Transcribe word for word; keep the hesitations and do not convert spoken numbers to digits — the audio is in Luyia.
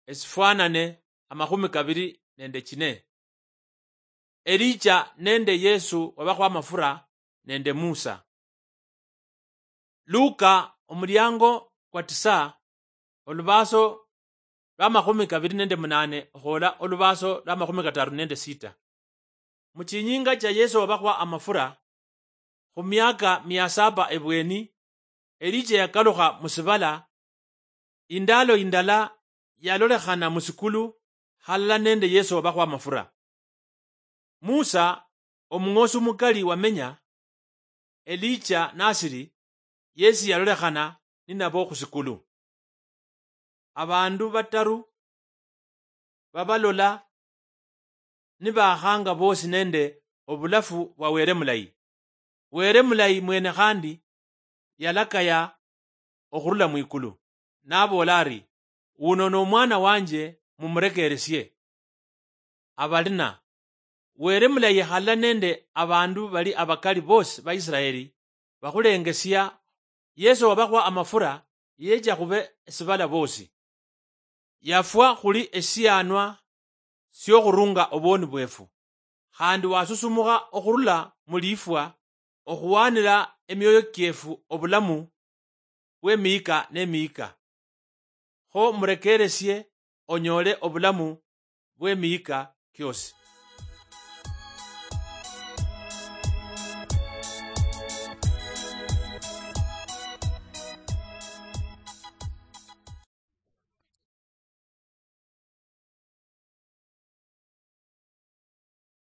esifwanane amakhumi kabiri nende chine. Elicha nende Yesu wabakhwa amafura nende Musa. Luka omuliango kwa tisa, olubaso lwa makhumi kabiri nende munane okhuola olubaso lwa makhumi kataru nende sita. Muchinyinga cha Yesu wabakhwa amafura, khumiaka mia saba ebweni, Elicha yakalukha musibala, indalo indala yalolekhana musikulu halala nende Yesu wabakhwa amafura. Musa, omung'osi omukali wamenya, Elicha nasiri, yesi yalolekhana ninabo khusikulu. Abandu bataru babalola nibakhanga bosi nende obulafu bwa Were mulayi. Were mulayi mwene khandi yalakaya okhurula mwikulu, naboola ari, "Wuno nomwana wanje, mumurekeresie." Abalina, Were mulayi halala nende abandu bali abakali bosi ba Israeli bakhulengesia, Yesu wabakhwa amafura yecha khube esibala bosi. Yafwa khuli esianwa siokhurunga obwoni bwefu, khandi wasusumukha okhurula mulifwa okhuwanira emioyo kiefu obulamu bwemiyika nemiyika. Kho murekeresie onyole obulamu bwemiyika kiosi.